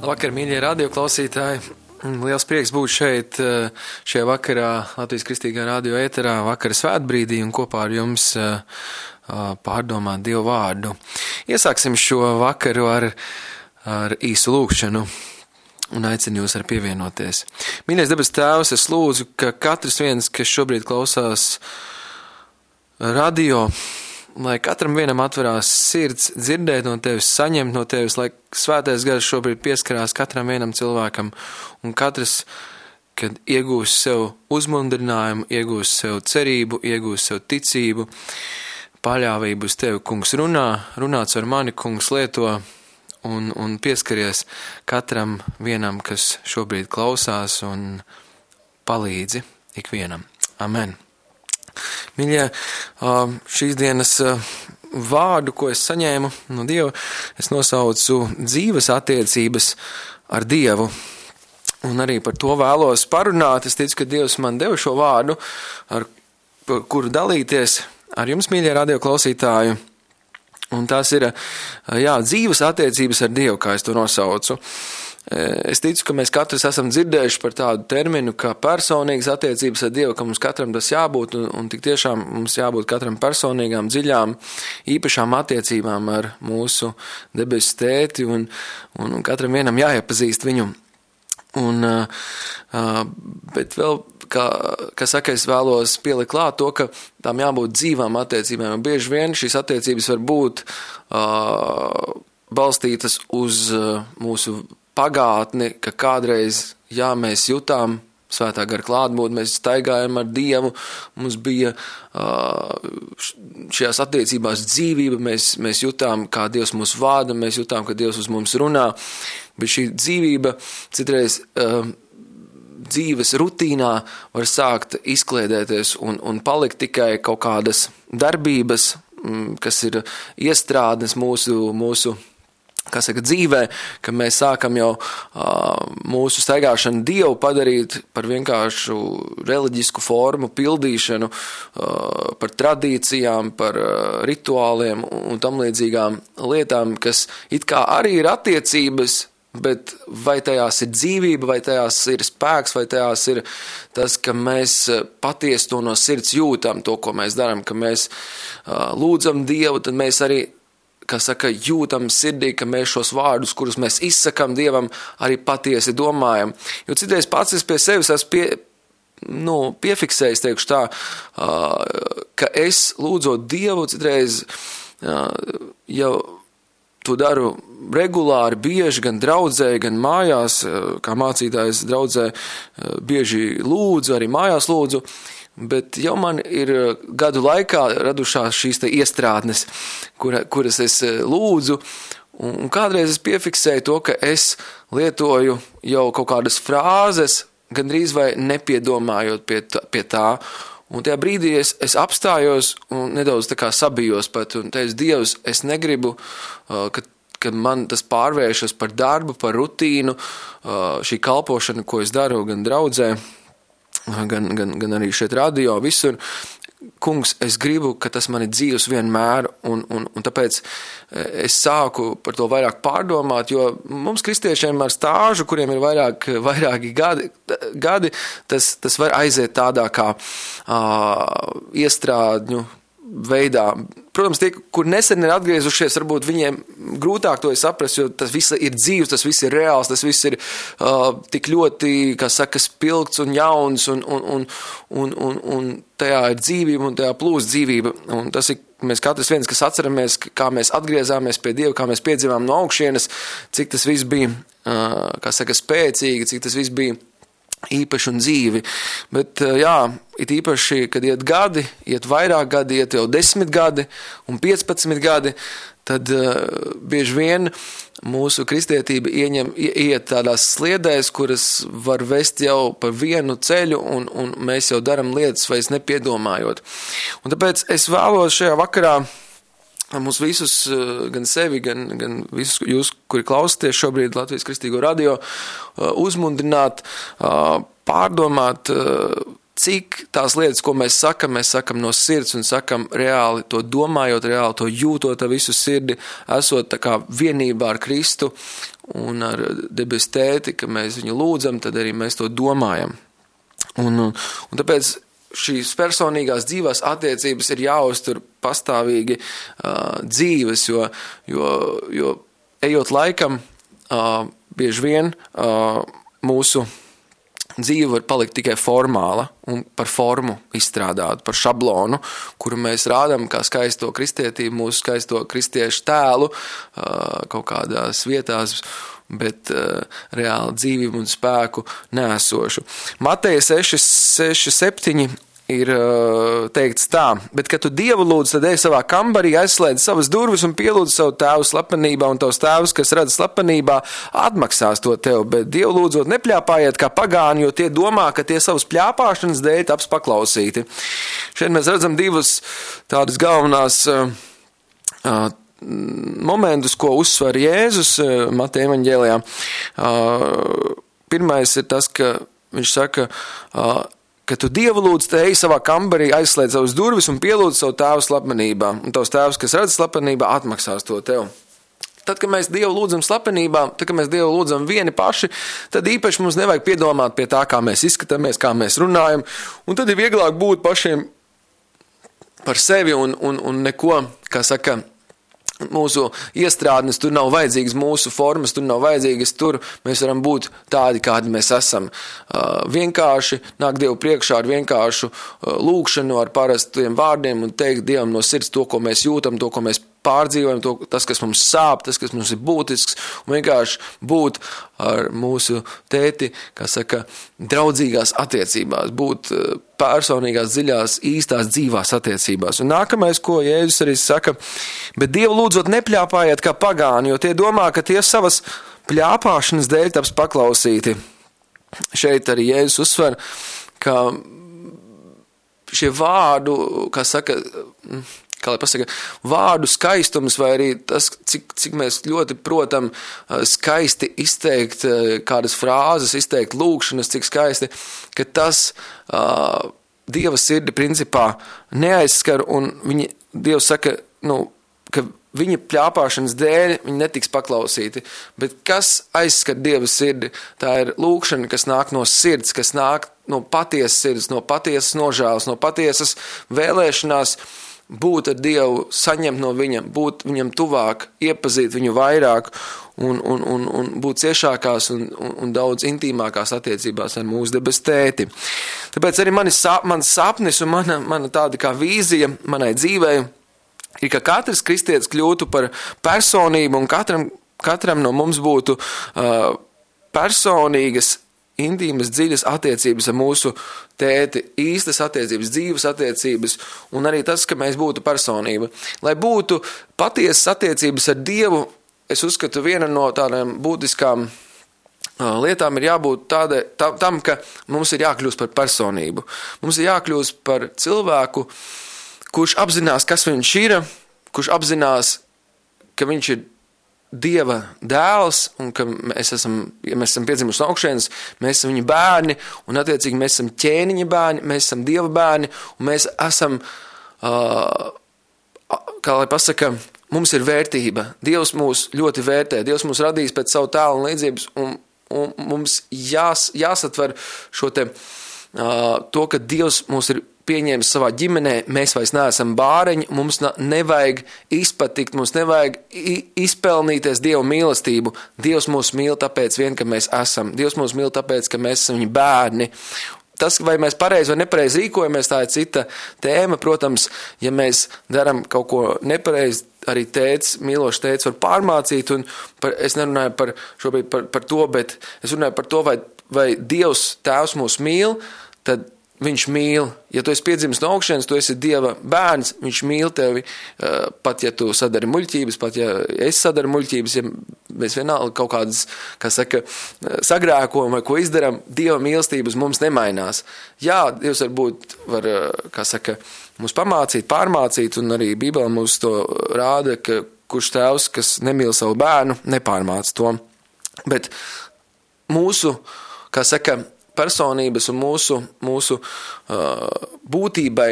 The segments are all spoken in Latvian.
Labvakar, mīļie radioklausītāji! Liels prieks būt šeit šajā vakarā Latvijas Kristīgā radio ēterā vakara svētbrīdī un kopā ar jums pārdomāt Dievu vārdu. Iesāksim šo vakaru ar īsu lūgšanu un aicinu jūs ar pievienoties. Mīļais debes Tēvs, es lūdzu, ka katrs viens, kas šobrīd klausās radio, lai katram vienam atverās sirds, dzirdēt no Tevis, saņemt no Tevis, lai svētais gars šobrīd pieskarās katram vienam cilvēkam, un katrs, kad iegūs sev uzmundrinājumu, iegūs sev cerību, iegūs sev ticību, paļāvību uz Tevi, kungs, runāts ar mani, kungs, lieto un pieskaries katram vienam, kas šobrīd klausās un palīdzi ikvienam. Amen. Mīļie, šīs dienas vārdu, ko es saņēmu no Dieva, es nosaucu dzīves attiecības ar Dievu. Un arī par to vēlos parunāt. Es ticu, ka Dievs man deva šo vārdu, ar kuru dalīties ar jums, mīļie radioklausītāji. Un tās ir, dzīves attiecības ar Dievu, kā es to nosaucu. Es ticu, ka mēs katrs esam dzirdējuši par tādu terminu, kā personīgas attiecības ar Dievu, ka mums katram tas jābūt, un tik tiešām mums jābūt katram personīgām, dziļām, īpašām attiecībām ar mūsu debesu tēti, un katram vienam jāiepazīst viņu. Bet vēl, kā saka, es vēlos pielikt klāt to, ka tām jābūt dzīvām attiecībām, un bieži vien šīs attiecības var būt balstītas uz mūsu pagātni, ka kādreiz, mēs jutām svētā gara klātbūtni, mēs staigājam ar Dievu, mums bija šajās attiecībās dzīvība, mēs jutām, kā Dievs mūs vada, mēs jutām, ka Dievs uz mums runā, bet šī dzīvība citreiz dzīves rutīnā var sākt izkliedēties un palikt tikai kaut kādas darbības, kas ir iestrādnes mūsu dzīvē, ka mēs sākam jau mūsu staigāšanu Dievu padarīt par vienkāršu reliģisku formu pildīšanu, par tradīcijām, par rituāliem un tam līdzīgām lietām, kas it kā arī ir attiecības, bet vai tajās ir dzīvība, vai tajās ir spēks, vai tajās ir tas, ka mēs patiesi to no sirds jūtam, to, ko mēs darām, ka mēs lūdzam Dievu, tad mēs arī jūtam sirdī, ka mēs šos vārdus, kurus mēs izsakam Dievam, arī patiesi domājam. Jo citreiz pats es pie sevis esmu piefiksējis, teikšu tā, ka es lūdzot Dievu, citreiz jau to daru regulāri, bieži, gan draudzē, gan mājās, kā mācītājs draudzē, bieži lūdzu, arī mājās lūdzu, bet jau man ir gadu laikā radušās šīs te iestrādnes, kuras es lūdzu, un kādreiz es piefiksēju to, ka es lietoju jau kaut kādas frāzes, gandrīz vai nepiedomājot pie tā, un tajā brīdī es apstājos un nedaudz tā kā sabijos pat, un teicu, Dievs, es negribu, ka man tas pārvēršas par darbu, par rutīnu, šī kalpošana, ko es daru gan draudzē, gan arī šeit radio, visur. Kungs, es gribu, ka tas man ir dzīvs vienmēr, un tāpēc es sāku par to vairāk pārdomāt, jo mums kristiešiem ar stāžu, kuriem ir vairāki gadi, tas var aiziet tādā kā iestrādņu veidā. Protams, tie, kur nesen ir atgriezušies, varbūt viņiem grūtāk to saprast, jo tas viss ir dzīvs, tas viss ir reāls, tas viss ir tik ļoti, spilgts un jauns, un tajā ir dzīvība, un tajā plūst dzīvība. Un tas ir, mēs katrs viens, kas atceramies, kā mēs atgriezāmies pie Dieva, kā mēs piedzīvām no augšienes, cik tas viss bija, spēcīgi, cik tas viss bija īpaši un dzīvi, bet it īpaši, kad iet gadi, iet vairāk gadi, iet jau 10 gadi un 15 gadi, tad bieži vien mūsu kristietība iet tādās sliedēs, kuras var vest jau pa vienu ceļu, un mēs jau daram lietas vairs nepiedomājot. Un tāpēc es vēlos šajā vakarā mūs visus, gan sevi, gan visus jūs, kuri klausāties šobrīd Latvijas Kristīgo radio, uzmundrināt, pārdomāt, cik tās lietas, ko mēs sakam no sirds un sakam reāli to domājot, reāli to jūtot ar visu sirdi, esot tā kā vienībā ar Kristu un ar debes tēti, ka mēs viņu lūdzam, tad arī mēs to domājam. Un tāpēc šīs personīgās dzīvās attiecības ir jāuztur pastāvīgi dzīves, jo ejot laikam, bieži vien mūsu dzīve var palikt tikai formāla un par formu izstrādātu, par šablonu, kuru mēs rādam kā skaisto kristietību, mūsu skaisto kristiešu tēlu kaut kādās vietās, bet reāli dzīvību un spēku neesošu. Mateja 6:7 ir teikts tā, bet, kad tu Dievu lūdz, tad ej savā kambarī, aizslēdz savas durvis un pielūdz savu tēvu slepenībā, un tavs tēvs, kas redz slepenībā, atmaksās to tev, bet Dievu lūdzot nepļāpājiet kā pagāni, jo tie domā, ka tie savas pļāpāšanas dēļ taps paklausīti. Šeit mēs redzam divas tādas galvenās momentus, ko uzsver Jēzus Mateja evaņģēlijā. Pirmais ir tas, ka viņš saka, ka tu Dievu lūdz, te ej savā kambarī, aizslēdz savas durvis un pielūdz savu tēvu slepenībā, un tavs tēvs, kas redz slepenībā, atmaksās to tev. Tad, kad mēs Dievu lūdzam slepenībā, tad, kad mēs Dievu lūdzam vieni paši, tad īpaši mums nevajag piedomāt pie tā, kā mēs izskatāmies, kā mēs runājam, un tad ir vieglāk būt pašiem par sevi un neko, kā saka, mūsu iestrādnes, tur nav vajadzīgas mūsu formas, tur nav vajadzīgas, tur mēs varam būt tādi, kādi mēs esam. Vienkārši nāk Dievu priekšā ar vienkāršu lūkšanu, ar parastiem vārdiem un teikt Dievam no sirds to, ko mēs jūtam, to, ko mēs pārdzīvojam, tas, kas mums sāp, tas, kas mums ir būtisks, un vienkārši būt ar mūsu tēti, kā saka, draudzīgās attiecībās, būt personīgās, dziļās, īstās, dzīvās attiecībās. Un nākamais, ko Jēzus arī saka, bet Dievu lūdzot nepļāpājiet kā pagāni, jo tie domā, ka tie savas pļāpāšanas dēļ taps paklausīti. Šeit arī Jēzus uzsver, ka šie vārdu, kā saka, kā lai pasaka, vārdu skaistums vai arī tas, cik mēs ļoti protam skaisti izteikt kādas frāzes, izteikt lūkšanas, cik skaisti, ka tas Dieva sirdi principā neaizskar un Dievs saka, ka viņa pļāpāšanas dēļ viņi netiks paklausīti. Bet kas aizskar Dieva sirdi? Tā ir lūkšana, kas nāk no sirds, kas nāk no patiesas sirds, no patiesas nožēlas, no patiesas vēlēšanās būt ar Dievu, saņemt no viņa, būt viņam tuvāk, iepazīt viņu vairāk un būt ciešākās un daudz intīmākās attiecībās ar mūsu debes tēti. Tāpēc arī mans sapnis un mana tāda kā vīzija manai dzīvei ir, ka katrs kristietis kļūtu par personību un katram no mums būtu personīgas, intīmas, dziļas attiecības ar mūsu tēti, īstas attiecības, dzīves attiecības, un arī tas, ka mēs būtu personība. Lai būtu patiesas attiecības ar Dievu, es uzskatu, viena no tādām būtiskām lietām ir jābūt tam, ka mums ir jākļūst par personību. Mums ir jākļūst par cilvēku, kurš apzinās, kas viņš ir, kurš apzinās, ka viņš ir Dieva dēls un ka ja mēs esam piedzimuši no augšienes, mēs esam viņa bērni un attiecīgi mēs esam ķēniņa bērni, mēs esam Dieva bērni un mēs esam, kā lai pasaka, mums ir vērtība. Dievs mūs ļoti vērtē, Dievs mūs radījis pēc savu tēlu un līdzības un mums jāsatver šo to, ka Dievs mūs ir pieņēmis savā ģimenē, mēs vairs neesam bāreņi, mums nevajag izpatikt, mums nevajag izpelnīties Dieva mīlestību. Dievs mūs mīl tāpēc vien, ka mēs esam. Dievs mūs mīl tāpēc, ka mēs esam viņa bērni. Tas, vai mēs pareizi vai nepareizi rīkojamies, tā ir cita tēma. Protams, ja mēs daram kaut ko nepareizi, arī mīlošs tēts var pārmācīt, un es nerunāju šobrīd par to, bet es runāju par to, vai Dievs tēvs mūs mīl, tad viņš mīl. Ja tu esi piedzimis no augšienes, tu esi Dieva bērns, viņš mīl tevi, pat ja tu sadari muļķības, pat ja es sadaru muļķības, ja mēs vienalga kaut kādas, kā saka, sagrēkojam vai ko izdaram, Dieva mīlestības mums nemainās. Jā, Dievs varbūt var, kā saka, mums pamācīt, pārmācīt, un arī Bībele mums to rāda, ka kurš tēvs, kas nemīl savu bērnu, nepārmāc to. Bet mūsu, kā saka, personības un mūsu būtībai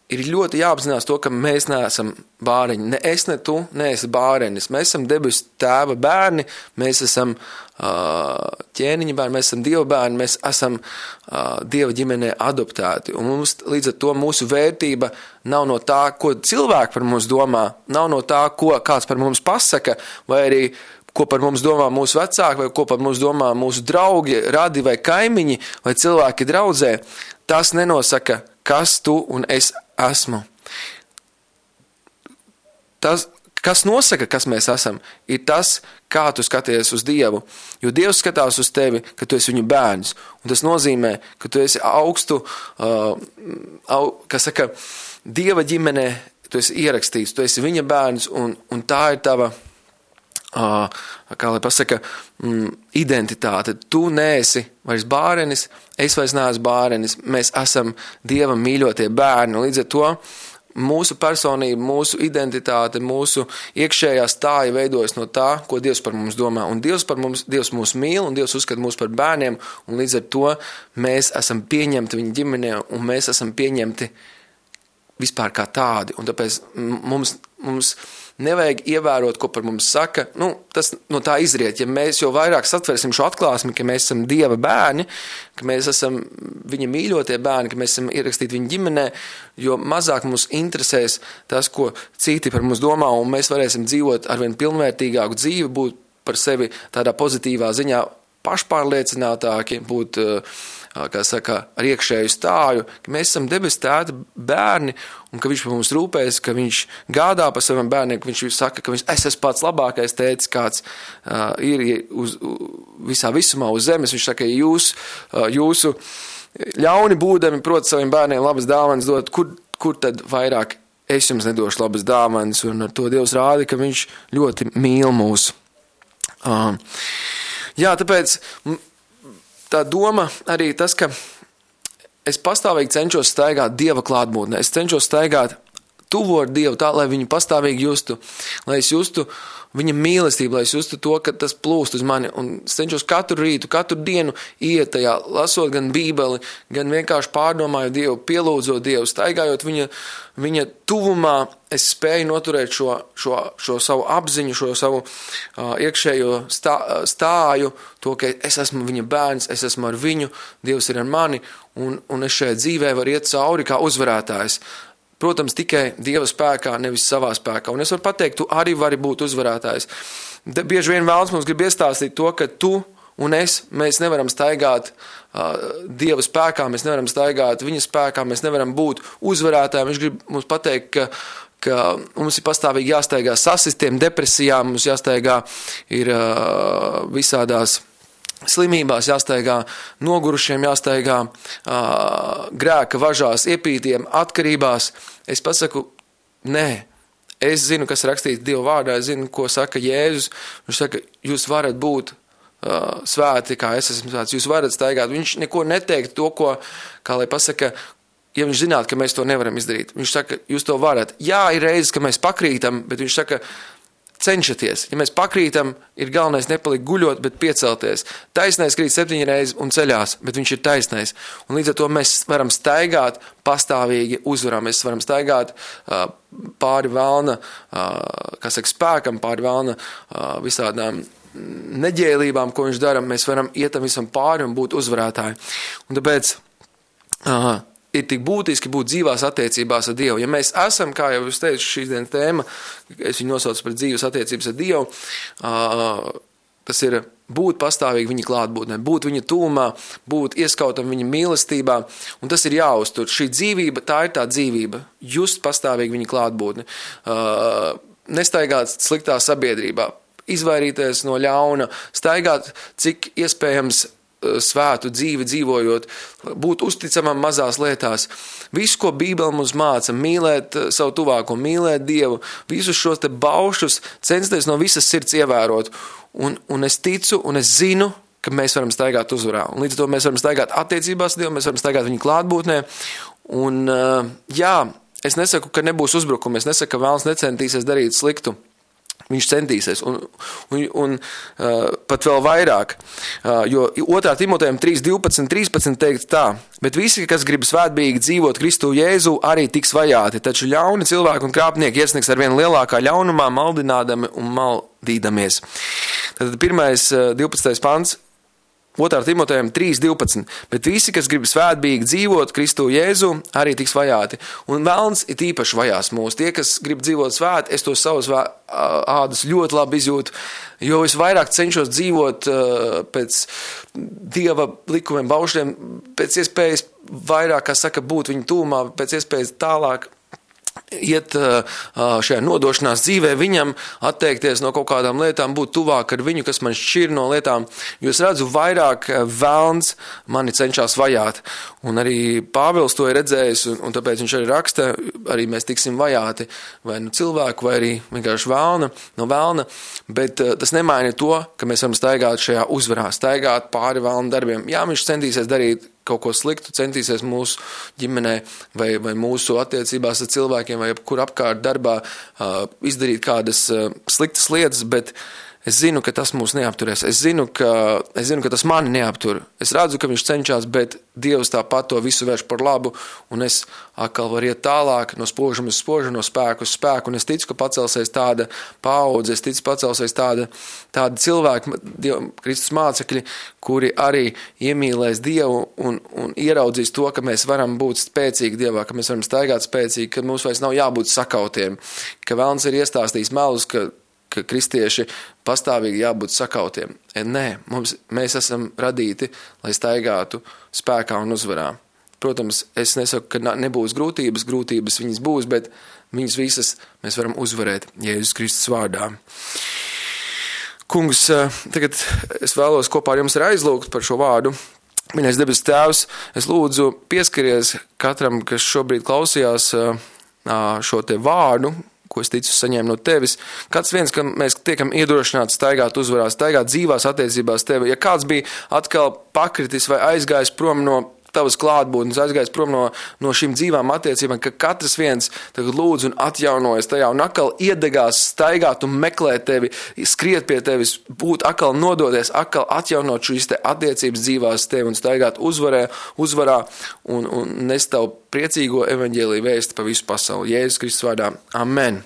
ir ļoti jāapzinās to, ka mēs neesam bāreņi. Ne es, ne tu, neesi bārenis. Mēs esam debesu tēva bērni, mēs esam ķēniņa bērni, mēs esam Dieva bērni, mēs esam Dieva ģimenē adoptēti. Un mums līdz ar to mūsu vērtība nav no tā, ko cilvēki par mums domā, nav no tā, ko kāds par mums pasaka, vai arī ko par mums domā mūsu vecāki, vai ko par mums domā mūsu draugi, radi vai kaimiņi, vai cilvēki draudzē. Tas nenosaka, kas tu un es esmu. Tas, kas nosaka, kas mēs esam, ir tas, kā tu skaties uz Dievu. Jo Dievs skatās uz tevi, ka tu esi viņu bērns. Un tas nozīmē, ka tu esi augstu, kas saka, Dieva ģimenē, tu esi ierakstīts, tu esi viņa bērns, un tā ir tava, kā lai pasaka, identitāte. Tu neesi vairs bārenis, es vairs neesmu bārenis, mēs esam Dieva mīļotie bērni. Līdz ar to mūsu personība, mūsu identitāte, mūsu iekšējā stāja veidojas no tā, ko Dievs par mums domā. Un Dievs mūs mīl, un Dievs uzskata mūs par bērniem, un līdz ar to mēs esam pieņemti viņa ģimenē, un mēs esam pieņemti vispār kā tādi. Un tāpēc mums nevajag ievērot, ko par mums saka. Tas no tā izriet. Ja mēs jau vairāk satversim šo atklāsmi, ka mēs esam Dieva bērni, ka mēs esam viņa mīļotie bērni, ka mēs esam ierakstīti viņa ģimenē, jo mazāk mums interesēs tas, ko citi par mums domā, un mēs varēsim dzīvot arvien pilnvērtīgāku dzīvi, būt par sevi tādā pozitīvā ziņā pašpārliecinātāki, būt kā saka, ar iekšēju stāju, ka mēs esam debesu tēta bērni un ka viņš par mums rūpēs, ka viņš gādā par saviem bērniem, ka viņš saka, ka es esmu pats labākais tētis, kāds ir visā visumā uz zemes. Viņš saka, ja jūsu ļauni būdami prot saviem bērniem labas dāvanas dot, kur tad vairāk es jums nedošu labas dāvanas, un ar to Dievs rāda, ka viņš ļoti mīl mūs. Jā, tāpēc tā doma arī tas, ka es pastāvīgi cenšos staigāt Dieva klātbūtnē. Es cenšos staigāt tuvu ar Dievu tā, lai viņu pastāvīgi justu, lai es justu viņa mīlestību, lai es justu to, ka tas plūst uz mani. Un es cenšos katru rītu, katru dienu iet tajā, lasot gan Bībeli, gan vienkārši pārdomājot Dievu, pielūdzot Dievu, staigājot viņa tuvumā. Es spēju noturēt šo savu apziņu, šo savu iekšējo stāju, to, ka es esmu viņa bērns, es esmu ar viņu, Dievs ir ar mani, un es šajā dzīvē varu iet cauri kā uzvarētājs. Protams, tikai Dieva spēkā, nevis savā spēkā. Un es varu pateikt, tu arī vari būt uzvarētājs. Bieži vien vēlams mums grib iestāstīt to, ka tu un mēs nevaram staigāt Dieva spēkā, mēs nevaram staigāt viņa spēkā, mēs nevaram būt uzvarētāji. Viņš grib mums pateikt, ka mums ir pastāvīgi jāstaigā sasistiem, depresijām, mums jāstaigā ir visādās slimībās, jāstaigā nogurušiem, jāstaigā grēka važās, iepītiem, atkarībās. Es pasaku, nē. Es zinu, kas rakstīts Dieva vārdā, es zinu, ko saka Jēzus. Viņš saka, jūs varat būt svēti, kā es esmu svēts, jūs varat staigāt. Viņš neko neteikt to, ko, kā lai pasaka, ja viņš zinātu, ka mēs to nevaram izdarīt. Viņš saka, jūs to varat. Jā, ir reizes, ka mēs pakrītam, bet viņš saka, cenšaties. Ja mēs pakrītam, ir galvenais nepalikt guļot, bet piecelties. Taisnais krīt 7 reizes un ceļās, bet viņš ir taisnais. Un līdz ar to mēs varam staigāt pastāvīgi uzvarā. Mēs varam staigāt pāri vēlna, spēkam, pāri vēlna visādām neģēlībām, ko viņš dara. Mēs varam iet tam visam pāri un būt uzvarētāji. Un tāpēc ir tik būtiski būt dzīvās attiecībās ar Dievu. Ja mēs esam, kā jau es teicu, šīs dienas tēma, es viņu nosaucu par dzīvas attiecības ar Dievu, tas ir būt pastāvīgi viņa klātbūtnē, būt viņa tūmā, būt ieskautam viņa mīlestībā, un tas ir jāuztur. Šī dzīvība, tā ir tā dzīvība, just pastāvīgi viņa klātbūtne, nestaigāt sliktā sabiedrībā, izvairīties no ļauna, staigāt cik iespējams svētu dzīvi dzīvojot, būt uzticamam mazās lietās. Visu, ko Bībele mums māca, mīlēt savu tuvāko, mīlēt Dievu, visus šos te baušus censties no visas sirds ievērot. Un es ticu un es zinu, ka mēs varam staigāt uzvarā. Un līdz ar to mēs varam staigāt attiecībās Dievu, mēs varam staigāt viņa klātbūtnē. Un jā, es nesaku, ka nebūs uzbrukumi, es nesaku, ka vēlns necentīsies darīt sliktu. Viņš centīsies, un pat vēl vairāk, jo 2. Timotejam 3:12-13 teikts tā, bet visi, kas grib svētbīgi dzīvot Kristu Jēzu, arī tiks vajāti, taču ļauni cilvēki un krāpnieki iesniegs ar vien lielākā ļaunumā, maldinādami un maldīdamies. Tad 12. pants, 2. Timotejam 3:12, bet visi, kas grib svētbīgi dzīvot Kristu Jēzu, arī tiks vajāti. Un velns ir īpaši vajās mūs. Tie, kas grib dzīvot svēti, es to savus ādas ļoti labi izjūtu, jo es vairāk cenšos dzīvot pēc Dieva likumiem, baušļiem, pēc iespējas vairāk, kā saka, būt viņu tūmā, pēc iespējas tālāk iet šajā nodošanās dzīvē, viņam atteikties no kaut kādām lietām, būt tuvāk ar viņu, kas man šķir no lietām, jo es redzu vairāk velns mani cenšas vajāt. Un arī Pāvils to ir redzējis, un tāpēc viņš arī raksta, arī mēs tiksim vajāti vai nu cilvēku, vai arī vienkārši velna, bet tas nemaina to, ka mēs varam staigāt šajā uzvarā, staigāt pāri velna darbiem. Jā, viņš centīsies darīt kaut ko sliktu, centīsies mūsu ģimenē vai mūsu attiecībās ar cilvēkiem vai kur apkārt darbā izdarīt kādas sliktas lietas, bet es zinu, ka tas mūs neapturēs. Es zinu, ka tas mani neaptur. Es redzu, ka viņš cenšas, bet Dievs tāpat to visu vērš par labu, un es atkal varu iet tālāk no spožuma uz spožumu, no spēku uz spēku, un es ticu, ka pacelsies tāda paudze, es ticu, pacelsies tāda cilvēki, Kristus mācekļi, kuri arī iemīlēs Dievu un ieraudzīs to, ka mēs varam būt spēcīgi Dievā, ka mēs varam staigāt spēcīgi, ka mums vairs nav jābūt sakautiem, ka velns ir iestāstījis melus, ka kristieši pastāvīgi jābūt sakautiem. Nē, mēs esam radīti, lai staigātu spēkā un uzvarā. Protams, es nesaku, ka nebūs grūtības viņas būs, bet viņas visas mēs varam uzvarēt Jēzus Kristus vārdā. Kungs, tagad es vēlos kopā ar jums aizlūgt par šo vārdu. Mīļais debes Tēvs, es lūdzu pieskaries katram, kas šobrīd klausījās šo te vārdu, ko es ticu saņēmu no tevis. Kāds viens, ka mēs tiekam iedrošināti staigāt uzvarā, staigāt dzīvās attiecībās tevi. Ja kāds bija atkal pakritis vai aizgājis prom no tavas klātbūtnes, aizgājis prom no šīm dzīvām attiecībām, ka katrs viens tagad lūdz un atjaunojas tajā un atkal iedegās staigāt un meklēt tevi, skriet pie tevis, būt atkal nodoties, atkal atjaunot šīs te attiecības dzīvās tevi un staigāt uzvarā un nest tavu priecīgo evaņģēliju vēsti pa visu pasauli. Jēzus Kristus vārdā. Amen.